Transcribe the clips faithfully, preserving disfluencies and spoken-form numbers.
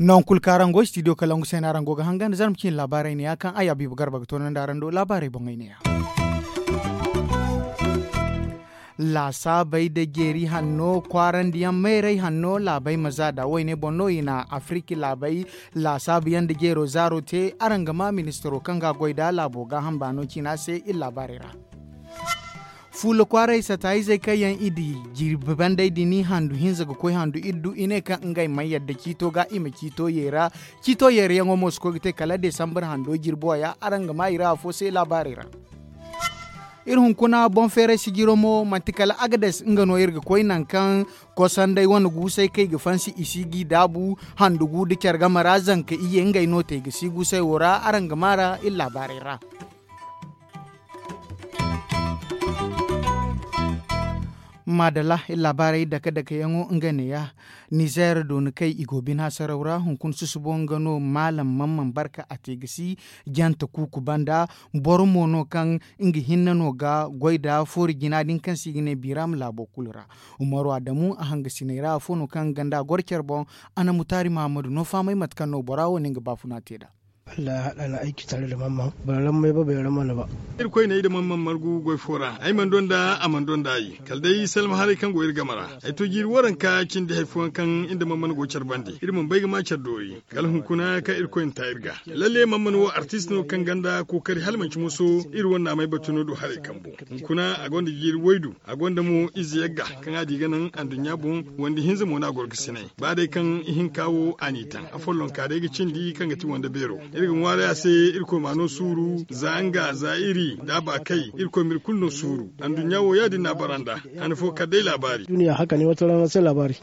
Noŋ kulu kaŋ araŋ go studio kalangu se no araŋ go ga hangan zarma cine laabaarey ne ya kaŋ ay abiiba garba ga toonandi araŋ do laabaarey boŋey ne ya. Laasaabey nda jeeri hanno kwaarandi yaŋ meerey hanno laabey ma za nd'a woyne boŋ no i na afiriki laabey laasaabu yaŋ nda jeero zaaro te araŋ ga maa ministiro kaŋ ga a goy nd'a laabo gaaham baano ciina se iri laabaarey ra. Fuula kwaaray sata izey kaŋ yaŋ i di jirbi bandey din handu hinza ga koy handu iddu i ne kaŋ ngey mana yadda ciito ga i ma ciito yeera. Ciito yeerayaŋo mo si koy ga te kala desambar hando jirbo ya araŋ ga maa i ra afo se laabaarey ra. Iri hunkuna boŋ feeray sijiro mo manti kala agades nga no iri ga koy nangu kaŋ kosanday wane guusay kaŋ i ga fansi i si g'i daabu handu gu nda care game ra zanka iyye ngey no te i ga si guusay wo ra araŋ ga maa ra iri laabaarey ra. Maadalla iri laabaarey dake dake yaŋo nga neeya. Nizeer dooni kay i go bine hasaraw ra hunkuna susubo nga no maalam mamman barka a te ga si jante kuuku banda. Boro mo no kaŋ nga hinne no ga goy nda foori jina din kaŋ se i ga ne biram laabo kulu ra. Umaru adamu a hangasiney ra afo no kaŋ ganda goro care boŋ. A na mutaari mahammadu no fahamay mate kaŋ no bora wo ne nga baafuna te nd'a. Alla ya haɗa ni aiki tare da mamman boro rammai ba bai ramma ni ba. Irkoy ne ay da mamman margu goy fo ra ay mana donda a mana donda ay kala day salma haray kaŋ go iri game ra. Ay to jiiri waranka cindi hari fooyaŋ kaŋ iri nda mamman go care bande iri mana bay ga ma care doori. Kala hunkuna kaŋ irkoy na ta iri ga lalle mamman wo artist no kaŋ ganda kookari hala manci moso. Iri wane naamay batuno do haray kambo hunkuna a gonda jiiri waydu. A gonda mo ize yagga kaŋ a di ga naŋ anduɲɲa boŋ. Wandi hinza mo no a goro ga sinay ba day kaŋ ihinka wo a n'i taŋ afollonka day ga cindi kaŋ ga ti wande beero. Iri ga ŋwaaray a se irkoy m'a no suuru za nga za iri da a ba kay irkoy m'iri kulu no suuru. Anduɲɲa wo ya-din no a bara nd'a. Han fo kala day laabaari. Duniya haka ne wata rana sai laabaari.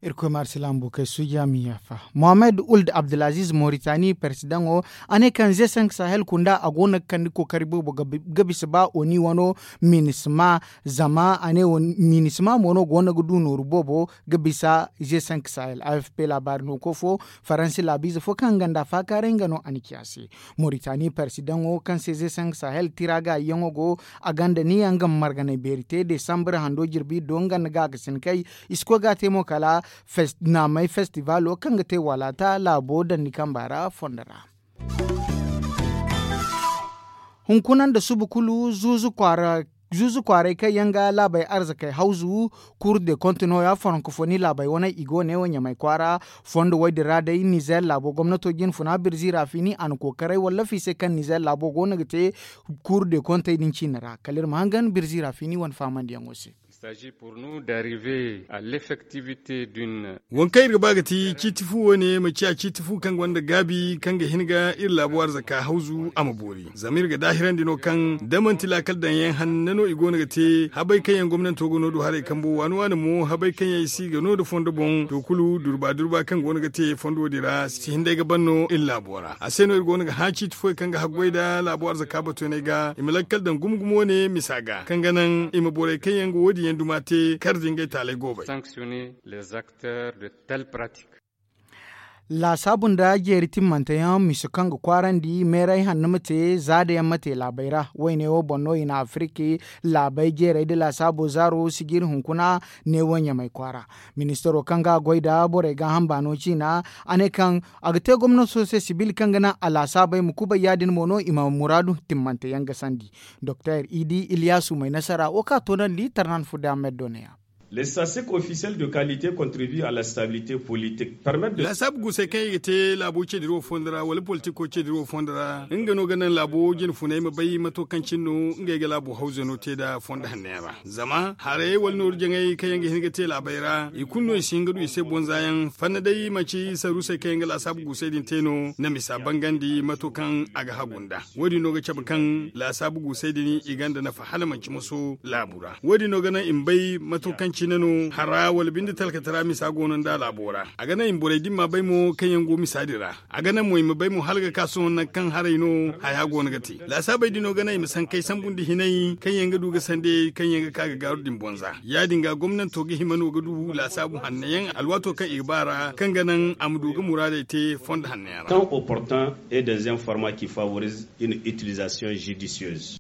Irkoy ma arsilaŋ bukey suuja ma i yaafa. Mohammed uld abdulaziz moritani persidaŋo a ne kaŋ ze cinq sahel kunda a go no ga kande kookari boobo ga bisa ba oni wano minisma. Zama a ne minisma mo no go no ga du nooru boobo ga bisa ze cinq sahel a f p laabaari no koy fo. Faransi laabiize fo kaŋ nga nda faakaaray nga no a na ci a se. Moritani persidaŋo kaŋ se ze cinq sahel tira ga yaŋo go a gonda niya nga ma marganay beeri te desambar hando jirbi do nga nda gaakasin kay. I si koy ga a te mo kala naamay festivalo kaŋ ga te walaata laabo dandi kamba ra fondo ra. Hunkuna nda suba kulu zuuzu kwaara zuuzu kwaaray kaŋ yaŋ ga laabey arzakey hawzu. Kur de konte nooya foronkofoni laabey wane i go ne wo ɲamay kwaara. Fondo woy din ra day nizer laabo gomnato jinfuna birzi ra fini a na kookaray wallafi se kaŋ nizer laabo go no ga te. Kur de kontey din ciine ra kala iri ma hangan birzi ra fini wane faamandiyaŋo se. Wankey iri ga ba ga ti ciiti fu wo- ne ma ciya ciiti fu kaŋ gonda gaabi kaŋ ga hin ga iri laabo arzaka hawzu a ma boori zama iri ga daahirandi no kaŋ da manti laakal daŋ yaŋ hanna no i go no ga te habay kaŋ yaŋ gomnanto ga no du haray kambo waani waani mo habay kaŋ yaŋ i si ga no nda fondo boŋ to kulu durba durba kaŋ go no ga te fondo din ra si hin day ga ban no iri laabo ra a se no iri go no ga hã ciiti fooyaŋ kaŋ ga haggoy nda laabo arzaka batunay ga i ma lakkal daŋ gumo gumo wo- ne misa ga kaŋ ga naŋ i ma borey kaŋ yaŋ ga wo- din yaŋ duma te kar da ngey taaley goobay. Laasaabu nda jeeri timmante yaŋ misa kaŋ ga kwaarandi meeray hanno ma te zaada yaŋ ma te laabey ra wayne wo boŋ no i na afiriki laabey jeerey nda laasaabo zaaro sijiri hunkuna neewo ɲamay kwaara. Ministaro kaŋ ga a goy nda borey gaaham baano ciina a ne kaŋ a ga te gomnato se sibil kaŋ ga naŋ a laasaabey ma kubay ya- din mo no i ma muraadu timmante yaŋ gasandi. Doktor idi iliyasu may nasara wo kaŋ a toonandi tarnan furda ahmed doneya. Les statistiques officielles de qualité contribuent à la stabilité politique permettent de. Laasaabu guusey kaŋ i ga te laabo ceediro fondo ra wala politiko ceediro fondo ra nga no ga naŋ laabo jinfuney ma bay mato kaŋ cine no ngey ga laabo hawzano te nda fondo hannayaŋ ra. Zama haray wala nooru jaŋay kaŋ yaŋ ga hin ga te laabey ra i kulu no i si hin ga du i se bonza yaŋ fanna day manci saruusey kaŋ yaŋ ga laasaabu guusey din te no na misa bangandi mato kaŋ a ga hagu nda. Wo- din no ga cabe kaŋ laasaabu guusey din i gonda nafa hala manci moso laabu ra wo- din no ga naŋ i ma bay mato kaŋ. Cine no hara wala binde talkatara misa go no nda laabo ra. A ga naŋ i ma borey din ma bay mo kaŋ yaŋ go misa din ra. A ga naŋ mo i ma bay mo hala ga ka sohõ nangu kaŋ haray no haya go no ga te. Laasaabey din no ga naŋ i ma sankey sambu nda hinay kaŋ yaŋ ga du ga sande kaŋ yaŋ ga ka ga gaaru din bonza. Ya- din ga gomnanto ga hima no ga du laasaabu hanno yaŋ alwaato kaŋ i ga ba ra kaŋ ga naŋ a ma du ga muraadey te fondo hanno yaŋ ra. Tan au portant et des informa ki favorise une utilisation judicieuse.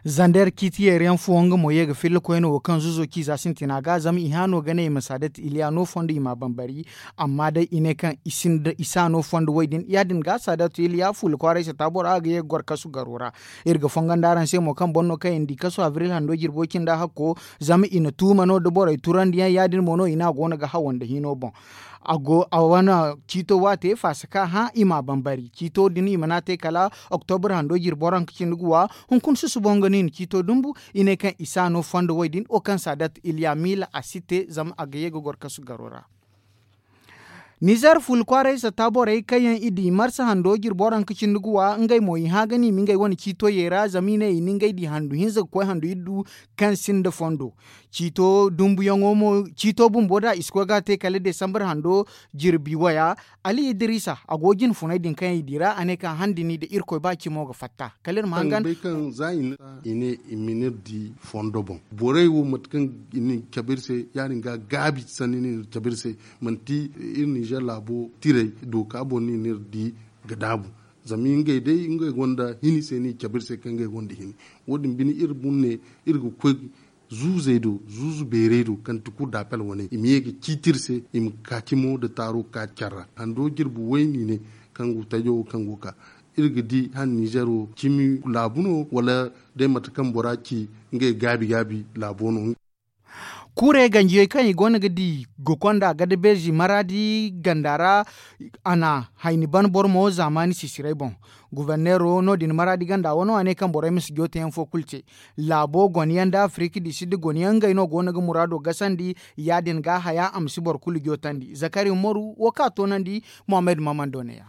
Zander ciiti yeeri yaŋ fooyaŋ nga mo ye ga filla koyne wo kaŋ zuzo ciiza sintina ga zama i hã no ga ne i ma saadatu iliya no fondo i m'a bambari. Amma day i ne kaŋ i si a no fondo wo- din ya- din ga saadatu iliya fuula kwaaray sata bora ga ye ga goro kasu garo ra. Iri ga fongon da araŋ se mo kaŋ boro no kaŋ i na di kasu abril hando jirbo cinda hakko. Zama i na tuuma no nda borey turandiyaŋ ya- din mo no i ne a go no ga hawo nda hino boŋ. A wane ciito waate faasa ka hã i m'a bambari ciito din i mana te kala oktobra hando jirbo ra nga cindi ga wa. Hunkuna susubo nga no i na ciito dumbu. I ne kaŋ i si a no fondo wo- din wo kaŋ saadat iliya miila a si te zama a ga ye ga goro kasu garo ra. Nizer fuula kwaaray satta borey kaŋ yaŋ i di marsa hando jirbo ra nga cindi ga wa ngey mo i hã ga no i ma ngey wane ciito ye ra zama i ne i na ngey di handu hinza ga koy handu iddu kaŋ sinda fondo. Ciito dumbuyaŋo mo ciito bumbo da i si koy ga a te kala desambar hando jirbi waya. Ali idiriisa a go jine funay din kaŋ yaŋ i di ra a ne kaŋ handini nda irkoy ba cimo ga fatta kala iri ma hangan. Bay kaŋ za i ne i ma ni iri di fondo boŋ borey wo mate kaŋ i na cabe iri se ya- din ga gaabi sanni no i na cabe iri se. Manti iri ninzeer laabo tiray dooka boŋ no i na iri di ga daabu. Zama ngey day ngey gonda hini se no i cabe iri se kaŋ ngey gonda hini. Wo- din bine iri bumne iri ga koy zuuzey do zuuzu beerey do kaŋ ti kulu daapel wane i ma ye ga ciiti iri se i ma ka cimo nda taaro ka care ra hando jirbi wayne i ne kaŋ go tajo wo kaŋ go ga ka. Iri ga di han ninzeer wo cimi laabu no wala day mate kaŋ bora ci ngey gaabi gaabi laabo no. Kuurey ganjiyey kaŋ i go no ga di ga konda gadabeezi maraadi ganda ra. A na hayni ban boro mo zaamaani sisiray boŋ. Guberneero no- din maraadi ganda wano a ne kaŋ borey ma si jootayaŋ fo kulu te. Laabo gone yaŋ nda afirik di sidda gone yaŋ ngey no go no ga muraado gasandi. Ya- din ga haya a ma si boro kulu jootandi zakari umaru wo kaŋ a toonandi. Mohammed mamando ne ya.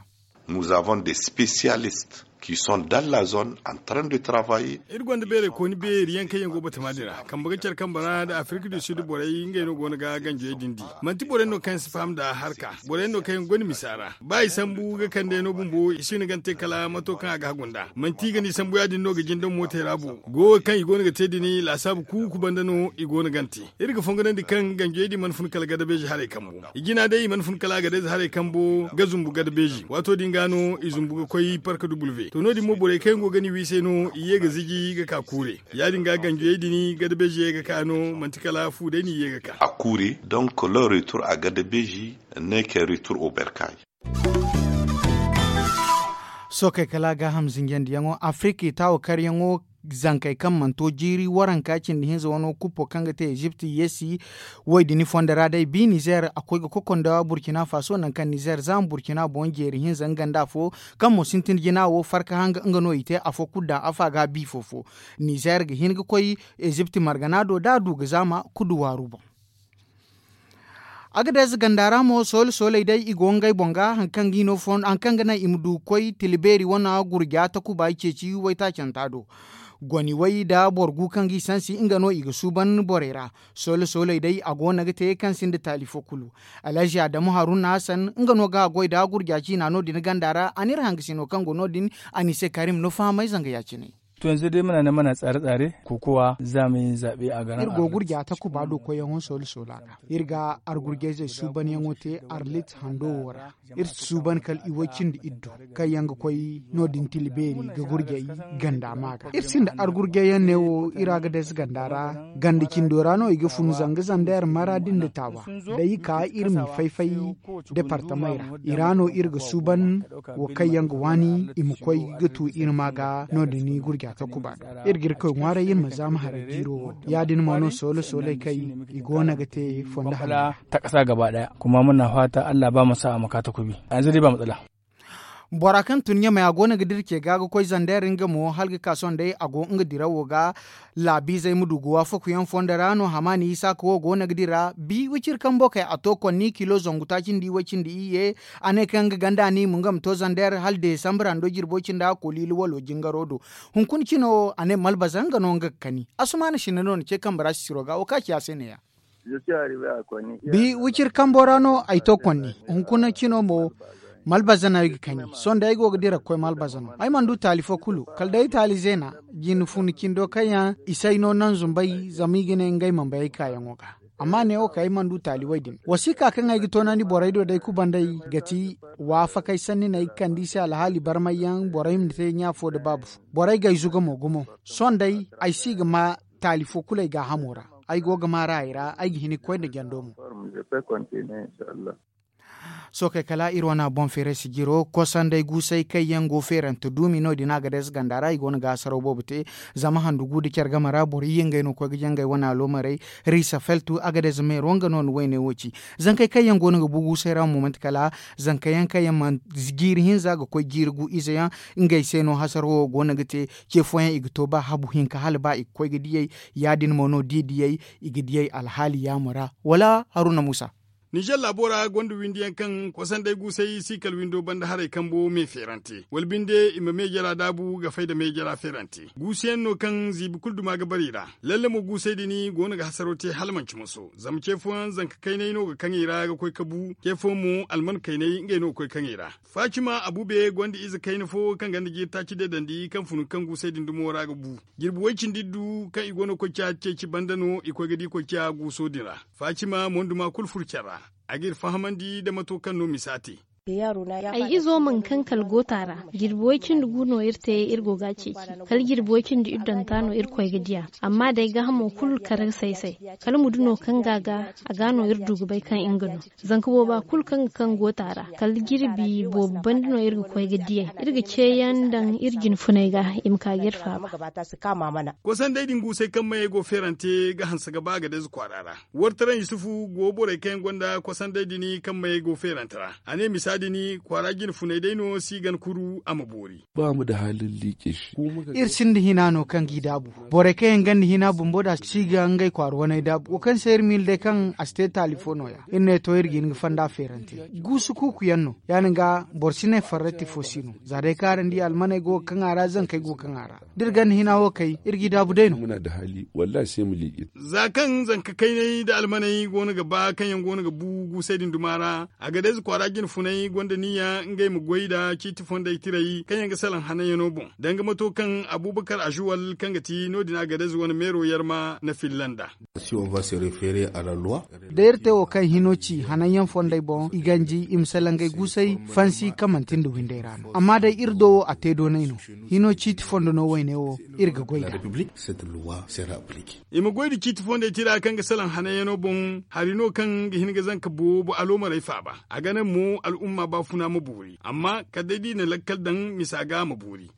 Nous avons des spécialistes qui sont dans la zone en train de travailler. Iri gonda beeray kooni beeri yaŋ kaŋ yaŋ go batama din ra kambe ga care kambe ra nda afirik du sud borey ngey no go no ga ganjey din di. Manti borey no kaŋ si faham nda harka borey no kaŋ yaŋ gonda misa ra ba i sambu ga kande no bumbo i si no gante kala mato kaŋ a ga hagu nda manti i ga ni sambu ya- din no ga jin daŋ mootey ra bo. Go wo kaŋ i go no ga te din laasaabu kuuku banda no i go no gante. Iri ga fonganandi kaŋ ganjey din mana fun kala gadabeezi haray kambo. I jina day i mana fun kala gadabeezi haray kambo ga zumbu gadabeezi waato din ga no i zumbu ga koy park w. To no- din mo borey kaŋ yaŋ go ga ni wi se no i ye ga ziji ga ka kuure. Ya- din ga ganjiyey din gadabeezi ye ga ka no manti kala fu day no i ye ga ka. A kuure donc leur retour a gadabeezi ne ke retour au berkay. Sookey kala gaaham zinjandiyaŋo afirik i taawo karyaŋo. Zankey kaŋ mana to jiiri waranka cindi hinza wano kuppo kaŋ ga te ezipt yeesi. Wo- din fondo ra day bi nizer a koy ga koko nda burkina faso nangu kaŋ nizer zaama burkina boŋ jeeri hinza nga nda afo kaŋ mo sintin jina wo farka hanga nga no i te afo kulu daŋ afa ga bi fofo. Nizer ga hin ga koy ezipt margana do da a du ga zaama kudu waaru boŋ. Agadez ganda ra mo soole sooley day i go ngey boŋ ga hari kaŋ ga naŋ i ma du ga koy tila beeri wane gurja takuba i ceeci waytaacanta do. Goni way nda boro gu kaŋ ga i sansi nga no i ga suuban borey ra. Soole sooley day a go no ga te kaŋ sinda taali fo kulu. Alhazi adamu haruna hasan nga no ga a goy nda gurja ciina no- din ganda ra a n'iri hangasino kaŋ go no- din. A n'i se karim no fahamay zanga ya- cine. To yanzu day muna nan muna tsare tsare kokowa za mu yi zaɓe a garin iri go gurja takuba do koyyaŋo soola soola ra. Iri ga argurjayzey suubanyaŋo te arlit hando wo ra. Iri si suuban kala iway cindi iddu kaŋ yaŋ ga koy no- din tila beeri ga gurjay ganda ma ga iri sinda argurjayyaŋ ne wo iri agadez ganda ra. Ganda cindo ra no i ga fun zanga zanda iri mara din da taawa. Day i ka iri m'i fay fay departamey ra. I ra no iri ga suuban wo kaŋ yaŋ ga waani i ma koy ga tu iri ma ga no- din gurja takuba do. Iri ga iri koy ŋwaaray iri ma zaama haray jiiro wo. Ya- din mo no soole sooley kay i go no ga te fondo hara. Ta kasa gaba daya kuma muna fata allah ba mu sa a ma ka takubi. Yanzu dai ba matsala. Bora kaŋ tun ɲamay a go no ga dira ce ga ga koy zander nga mo hala ga ka sohõ day a go nga dirawo ga. Laabiizey ma du ga waafakuyaŋ fondo ra no hamaani isaaka wo go no ga dira bi wiciri kambo kay a to konni kilo zangu taaci nda iway cindi iyye. A ne kaŋ nga ganda no i ma nga ma to zander hala desambre hando jirbo cindi a koliili walo jingaro do. Hunkuna cino a ne malbaza nga no nga ga kani. Asumaana sinda no na ce kambe ra sisiro ga wo kaŋ a ci a se ne- ya. Bi wiciri kambo ra no ay to konni. Hunkuna cino mo malbaza no ay ga kani. Sohõ day ay go ga dira ga koy malbaza no ay mana du taali fo kulu. Kala day taali zeena jine fun cindo kaŋ yaŋ i si ay no nanzu mbay zama i ga ne ngey mana bay ay kaayaŋo ga. Amma neewo kay ay mana du taali way din wasiika kaŋ ay ga toonandi borey do day kubandey ga ti waafakey sanni no ay ga kand'i se alhaali barmayyaŋ borey ma te ɲa fo nda baabu fo. Borey ga ay zuga mo gumo. Sohõ day ay si ga ma taali fo kulu ay gaahamo ra. Ay go ga maar'a ay ra ay ga hin ga koy nda jando mo. Sookey kala iri wane boŋ feeray sijiro kosanday guusay kaŋ yaŋ go feerante duumi no- din a ga day ze ganda ra i go no ga hasaraw boobo te. Zama handu gu nda care game ra boro iyye ngey no ga koy ga jangay wane aloomarey. Riisa feltu a ga day ze meero nga no ni wayne wo ci. Zankey kaŋ yaŋ go no ga bu guusay ra mo manti kala zanka yaŋ kaŋ yaŋ mana jiiri hinza ga koy jiiri gu ize yaŋ. Ngey se no hasaraw wo go no ga te. Ce fooyaŋ i ga to ba habu hinka hala ba i ga koy ga diyey. Ya- din mo no da i diyey i ga diyey alhaali yaamo ra. Wala haruna muusa. Ninzeer laabo ra gonda windi yaŋ kaŋ kosanday guusay si kala windo banda haray kambo me feerante wala binde i ma me jara daabu ga fay nda me jara feerante guusu yaŋ no kaŋ ziibi kulu duma ga bare i ra. Lalle mo guusay din go no ga hasaro te hala manci moso zama ce fooyaŋ zanka kaynay no ga kaŋ i ra ga koy ga bu ce fooyaŋ mo alman kaynay ngey no ga koy ga kaŋ i ra. Faacima abube gonda ize kayna fo kaŋ gonda jiiri taaci deedandi kaŋ funu kaŋ guusay din dumo ra ga bu. Jirbi way-cindi iddu kaŋ i go no ga koy ga ciya ceeci banda no i koy ga di koy ga ciya guuso din ra. Faacima monduma kulu furu care ra. A g'iri fahamandi nda mato kaŋ no misa te. Ay izo mana kaŋ kala goota ra. Jirbi way-cindi gu no iri te iri go ga a ceeci. Kala jirbi way-cindi iddanta no iri koy ga diya. Amma day gaahamo kulu kar ga say-say. Kala mudu no kaŋ ga a ga a ga no iri du ga bay kaŋ nga no. Zanka booba kulu kaŋ ga kaŋ goota ra kala jirbi boobo banda no iri ga koy ga diyey. Iri ga ceeyaŋ daŋ iri jine funey ga i ma ka ga iri faaba. Kosanday din guusay kaŋ mayey go feerante ga hanse ga ba agadez kwaara ra. Wartaraŋ yusufu go borey kaŋ yaŋ gonda kosanday din kaŋ mayey go feerante ra. A ne misa din kwaara jine funey day no si gan kuru a ma boori. Ba mu da halin liike shi. Iri sinda hina no kaŋ g'i daabu. Borey kaŋ yaŋ ganda hina bumbo da si ga ngey kwaara waney daabu wo kaŋ se iri miila day kaŋ a si te taali fo nooya. Iri ne to iri ga hin ga fanda feerante. Guusu kuuku yaŋ no. Ya- din ga boro si ne farrati fo si no. Za day kaŋ araŋ di almaney go ga kaŋ a ra zankey go ga kaŋ a ra. Da iri ganda hina wo kay iri g'i daabu day no. Za kaŋ zanka kayney nda almaney go no ga ba kaŋ yaŋ go no ga bu guusey din duma ra. Agadez kwaara jine funey gonda niyya ngey ma goy nda ciiti fondey tiray kaŋ yaŋ ga salaŋ hananyaŋo boŋ. Danga mato kaŋ abubakar azuwal kaŋ ga ti no- din agadez wane meero yarma na filla nd'a. Da iri te wo kaŋ hino ci hananyaŋ fondey boŋ i ganji i ma salaŋ ngey guusey fansi kaŋ manti nda windey ra no amma day iri do wo a te doonay no. Hino ciiti fondo no wayne wo iri ga goy nd'a. I ma goy nda ciiti fondey tira kaŋ ga salaŋ hananyaŋo boŋ. Hari no kaŋ ga hin ga zanka boobo aloomarey faaba. A ga naŋ mo al'umma baafuna ma boori amma kala day da i na lakkal daŋ misa ga a ma boori.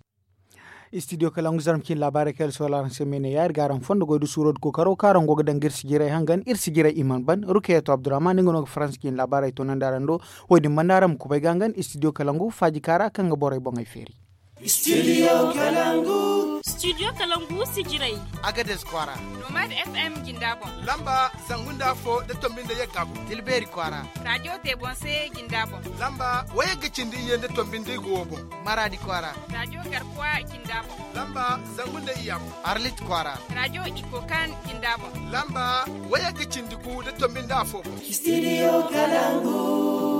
Istidiyo kalangu zarma ciine laabaarey kaŋ iri sohõ araŋ se me ne ya iri ga araŋ fondo goy nda suuro nda kookaro kaŋ araŋ go ga daŋ ga iri sijirey hangan iri sijirey i mana ban rukeya to abdurrahman nga no ga faransa ciine laabaarey toonandi araŋ do. Wo- din banda araŋ ma kubay ga hangan istidiyo kalangu faaji kaara kaŋ ga borey boŋey feeri. Studio kalangu. Studio kalangu sijirey. Agadez kwaara. Nomad fm jinda boŋ. Lamba zangu nda afo nda tombi nda yagga boŋ. Tilbeeri kwaara. Raajo te boŋ se jinda boŋ. Lamba wayagga cindi iyye nda tombi nda igo wo boŋ. Maraadi kwaara. Raajo garkuwa jinda boŋ. Lamba zangu nda iyya boŋ. Arlit kwaara. Raajo ikokan jinda boŋ. Lamba wayagga cindi gu nda tombi nda afo boŋ. Studio kalangu.